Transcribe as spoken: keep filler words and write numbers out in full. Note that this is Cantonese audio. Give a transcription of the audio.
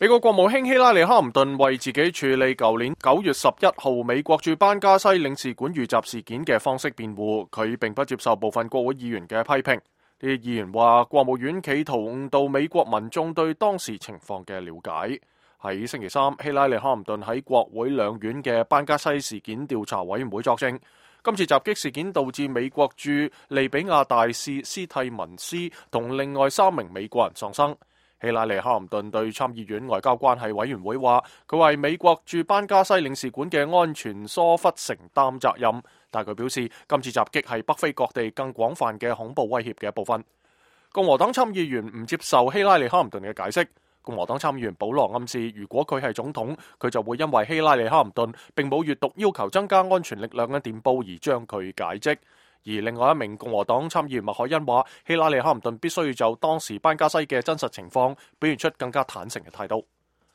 美國國務卿希拉里·哈林頓為自己處理舊年九月十一號美國駐班加西領事館遇襲事件嘅方式辯護，佢並不接受部分國會議員嘅批評。呢啲議員話，國務院企圖誤導美國民眾對當時情況嘅了解。喺星期三，希拉里·哈林頓喺國會兩院嘅班加西事件調查委員會作證。今次襲擊事件導致美國駐利比亞大使斯蒂文斯同另外三名美國人喪生。希拉里·哈林頓對參議院外交關係委員會話，佢為美國駐班加西領事館嘅安全疏忽承擔責任，但佢表示今次襲擊係北非各地更廣泛嘅恐怖威脅嘅一部分。共和黨參議員唔接受希拉里·哈林頓嘅解釋。共和黨參議員保羅暗示，如果佢係總統，佢就會因為希拉里·哈林頓並冇閱讀要求增加安全力量嘅電報而將佢解職。而另外一名共和黨參議員麥凱恩話，希拉里·哈林頓必須要就當時班加西嘅真實情況表現出更加坦誠嘅態度。